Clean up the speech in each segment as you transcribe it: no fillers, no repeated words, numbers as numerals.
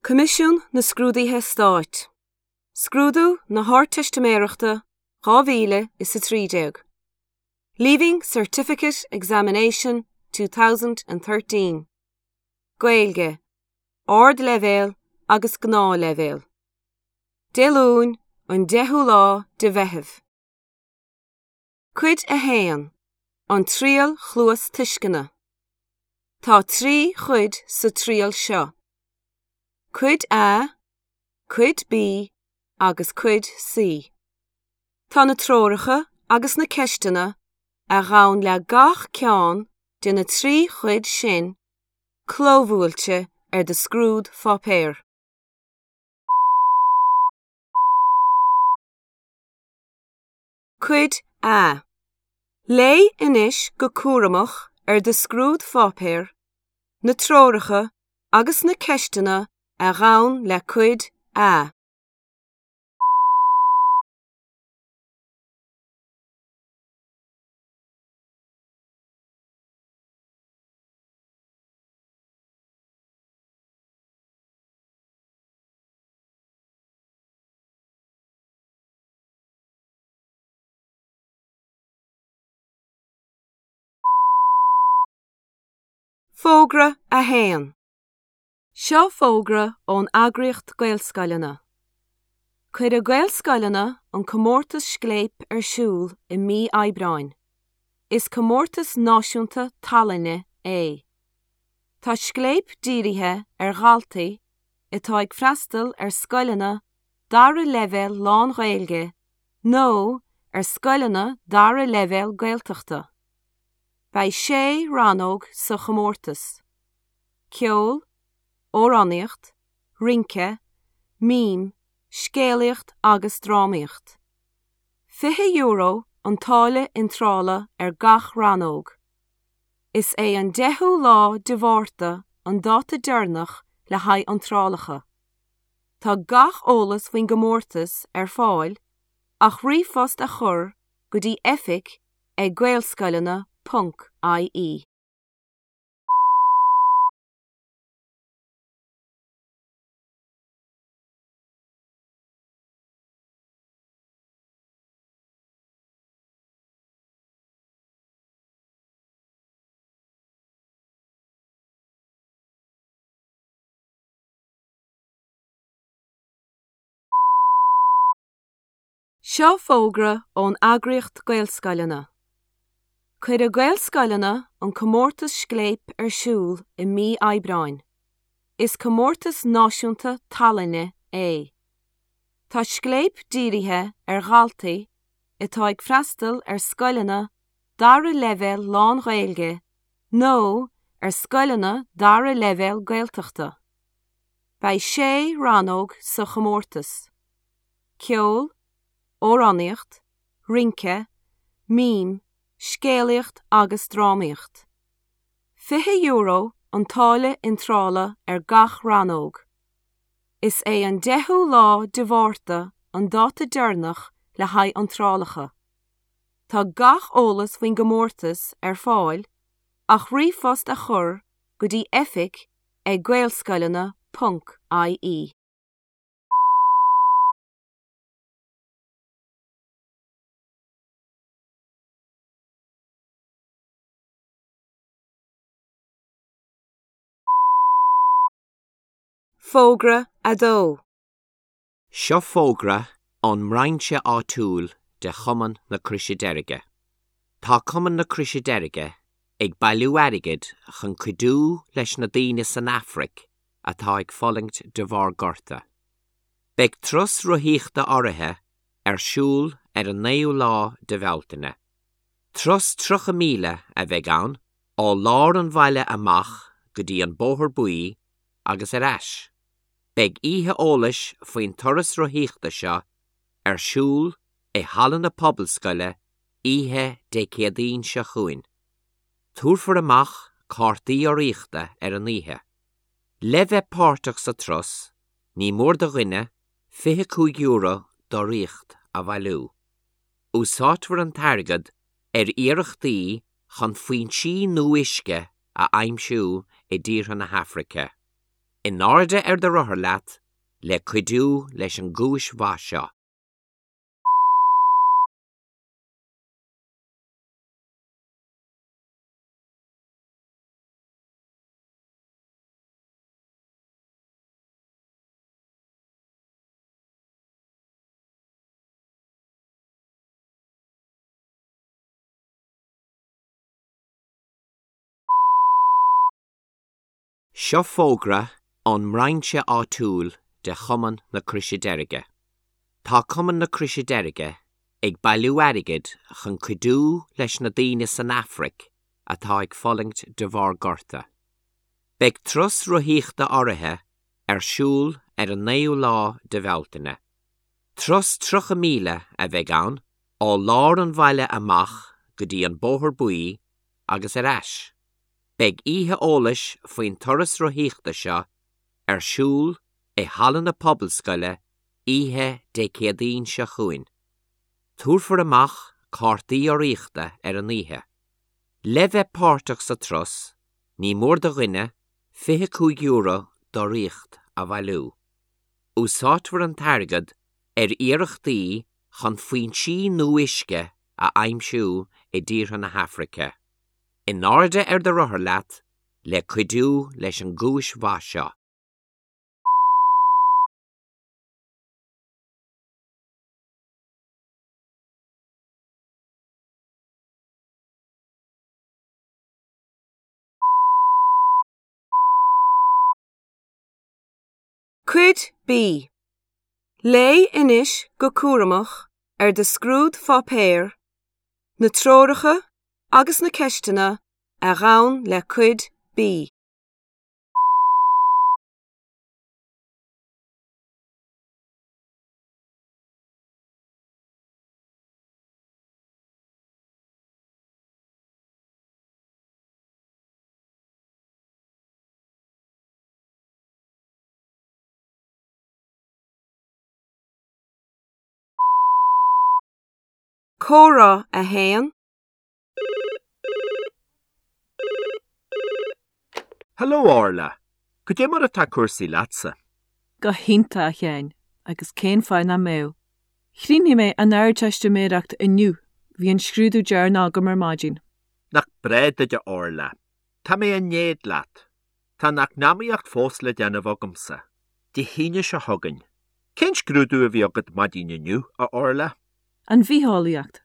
Coimisiún na Scrúduithe Stáit. Scrúdú na hArdteistiméireachta 2013. Leaving Certificate Examination 2013. Gaeilge, Ardleibhéal agus Gnáthleibhéal. Dé Luain, an 10ú lá de Mheitheamh. Cuid 1, An Triail Chluastuisceana. Tá 3 chuid sa triail seo. Cuid A, Cuid B agus Cuid C. Tá na treoracha agus na ceisteanna a ghabhann le gach ceann de na 3 chuid sin clóbhuailte ar do scrúdpháipéar. Cuid A. Léigh anois go cúramach ar do scrúdpháipéar na treoracha agus na ceisteanna a ghabhann le Cuid A. Fógra 1. Seo fógra ón eagraíocht Gaelscoileanna. Cuirfidh Gaelscoileanna an comórtas Scléip ar siúl i mí Aibreáin. Is comórtas náisiúnta tallainne é. Tá Scléip dírithe ar dhaltaí atá ag freastal ar scoileanna dara leibhéal lán-Ghaeilge nó ar scoileanna dara leibhéal Gaeltachta. Beidh sé rannóg sa chomórtas, ceol, amhránaíocht, rince, mím, scéalaíocht agus drámaíocht. €20 an táille iontrála ar gach rannóg. Is é an 10ú lá de Mhárta an dáta deireanach le haghaidh iontrálacha. Tá gach eolas faoin gcomórtas ar fáil ach ríomhphost a chur go dtí oifig ag gaelscoileanna ponc ie. Seo fógra ón eagraíocht Gaelscoileanna. Cuirfidh Gaelscoileanna an comórtas Scléip ar siúl i mí Aibreáin. Is comórtas náisiúnta tallainne é. Tá Scléip dírithe ar dhaltaí atá ag freastal ar scoileanna dara leibhéal lán-Ghaeilge nó ar scoileanna dara leibhéal Gaeltachta. Beidh sé rannóg sa chomórtas, ceol, amhránaíocht, rince, mím, scéalaíocht agus drámaíocht. €20 an táille iontrála ar gach rannóg. Is é an 10ú lá de Mhárta an dáta deireanach le haghaidh iontrálacha. Tá gach eolas faoin gcomórtas ar fáil ach ríomhphost a chur go dtí oifig ag gaelscoileanna ponc ie. Fógra 2. Seo fógra ón mbrainse áitiúil de Chumann na Croise Deirge. Tá Cumann na Croise Deirge ag bailiú airgid chun cuidiú leis na daoine san Afraic atá ag fulaingt de bharr gorta. Beidh turas rothaíochta áirithe ar siúl ar an 9ú lá de Bhealtaine. Turas 30 míle a bheidh ann ó lár an bhaile amach go dtí an Bóthar Buí agus ar ais. Beidh oíche eolais faoin turas rothaíochta seo ar siúl i Halla na Pobalscoile oíche Dé Céadaoin seo chugainn. Tabharfar amach cártaí urraíochta ar an oíche. Le bheith páirteach sa turas, ní mór do dhuine €25 d'urraíocht a bhailiú. Úsáidfear an t-airgead ar iarrachtaí chun foinsí nua uisce a aimsiú i dtíortha na hAfraice. In airde ar do rothar leat le cuidiú leis an gcúis mhaith seo. Seo fógra ón mbrainse áitiúil de Chumann na Croise Deirge. Tá Cumann na Croise Deirge ag bailiú airgid chun cuidiú leis na daoine san Afraic atá ag fulaingt de bharr gorta. Beidh turas rothaíochta áirithe ar siúl ar an 9ú lá de Bhealtaine. Turas 30 míle a bheidh ann ó lár an bhaile amach go dtí an Bóthar Buí agus ar ais. Beidh oíche eolais faoin turas rothaíochta seo ar siúl i Halla na Pobalscoile oíche Dé Céadaoin seo chugainn. Tabharfar amach cártaí urraíochta ar an oíche. Le bheith páirteach sa turas, ní mór do dhuine €25 d'urraíocht a bhailiú. Úsáidfear an t-airgead ar iarrachtaí chun foinsí nua uisce a aimsiú i dtíortha na hAfraice. In airde ar do rothar leat le cuidiú leis an gcúis mhaith seo. Cuid B. Léigh anois go cúramach ar do scrúdpháipéar na treoracha agus na ceisteanna a ghabhann le Cuid B. Comhrá 1. Hello Orla, Cad é mar atá cúrsaí leatsa? Go hiontach, a Sheáin, agus cén fáth nach mbeadh? Chríochnaigh mé an Ardteistiméireacht inniu, bhí an scrúdú deireanach agam ar maidin. Nach breá duit a Orla. Tá mé in éad leat. Tá an eacnamaíocht fós le déanamh agamsa. Dé hAoine seo chugainn. Cén scrúdú a bhí agat maidin inniu, a Orla? An bhitheolaíocht.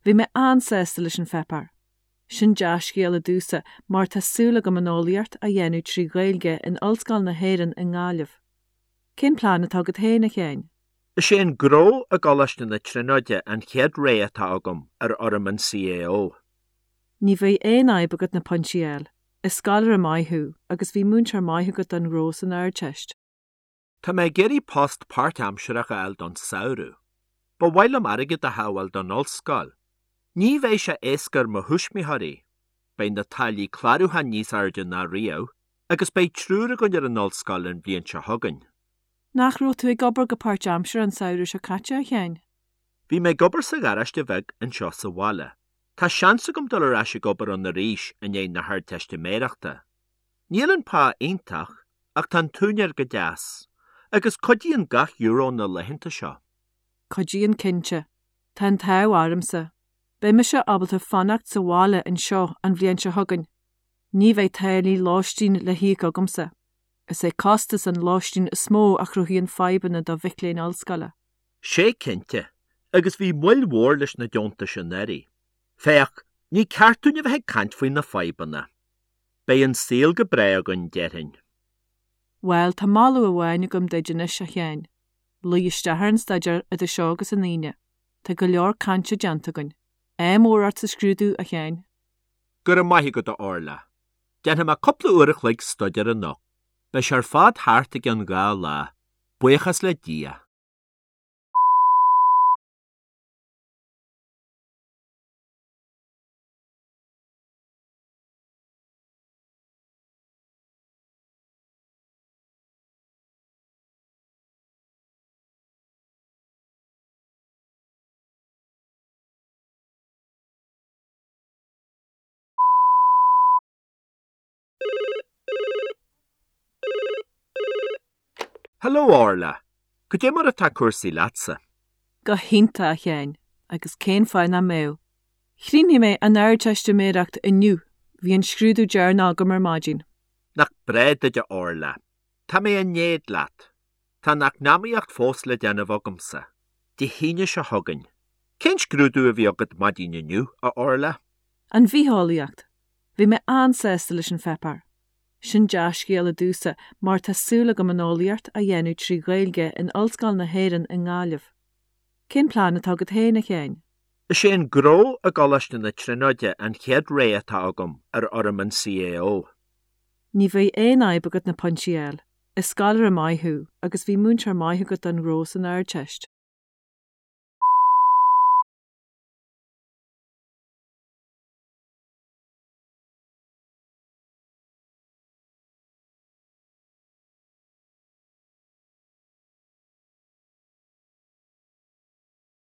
Bhí mé an-sásta leis an pháipéar. Sin dea-scéala domhsa mar tá súil agam an eolaíocht a dhéanamh trí Ghaeilge in Ollscoil na hÉireann i nGaillimh. Cén plean atá agat féin, a Sheáin? Is é an Gnó i gColáiste na Tríonóide an chéad rogha atá agam ar fhoirm an CAO. Ní bheidh aon fhadhb agat na pointí a fháil. Is scoláire maith thú agus bhí múinteoir maith agat don ghnó san Ardteist. Tá mé ag iarraidh post páirtaimsearach a fháil don samhradh. Ba mhaith liom airgead a shábháil don ollscoil. Ní bheidh sé éasca ar mo thuismitheoirí. Beidh na táillí clárúcháin níos airde ná riamh agus beidh triúr againn ar an ollscoil an bhliain seo chugainn. Nach raibh tú ag obair go páirtaimseartha an samhradh seo caite, a Sheáin? Bhí mé ag obair sa gharáiste bheag anseo sa bhaile. Tá seans agam dul ar ais ag obair ann arís i ndiaidh na hArdteistiméireachta. Níl an pá iontach ach tá an t-úinéir go deas, agus cuidíonn gach euro na laethanta seo. Cuidíonn cinnte. Tá an t-ádh ormsa. Beidh mise ábalta fanacht sa bhaile anseo an bhliain seo chugainn. Ní bheidh táillí lóistín le híoc agamsa. Is é costas an lóistín is mó a chruthaíonn fadhbanna do mhic léinn ollscoile. Sé cinnte, agus bhí moill mhór leis na deontais anuraidh. Féach, ní ceart dúinn a bheith ag caint faoi na fadhbanna. Beidh an saol go breá againn, déarfainn. Bhuel, tá moladh amháin agam duit anois, a Sheáin. Luigh isteach ar an staidéar idir seo agus an Aoine. Tá go leor cainte déanta againn. Ádh mór ort sa scrúdú, a Sheáin. Go raibh maith agat, a Orla. Déanfaidh mé cúpla uair a chloig staidéir anocht. Beidh sé ar fad thart i gceann dha lá. Buíochas le Dia. Hello Orla! Cad é mar atá cúrsaí leatsa? Go hiontach, a Sheáin, agus cén fáth nach mbeadh? Chríochnaigh mé an Ardteistiméireacht inniu, bhí an scrúdú deireanach agam ar maidin. Nach breá duit a Orla. Tá mé in éad leat. Tá an eacnamaíocht fós le déanamh agamsa. Dé hAoine seo chugainn. Cén scrúdú a bhí agat maidin inniu, a Orla? An bhitheolaíocht. Bhí mé an-sásta leis an pháipéar. Sin dea-scéala domhsa mar tá súil agam an eolaíocht a dhéanamh trí Ghaeilge in Ollscoil na hÉireann i nGaillimh. Cén plean atá agat féin, a Sheáin? Is é an Gnó i gColáiste na Tríonóide an chéad rogha atá agam ar fhoirm an CAO. Ní bheidh aon fhadhb agat na pointí a fháil. Is scoláire maith thú agus bhí múinteoir maith agat don ghnó san Ardteist.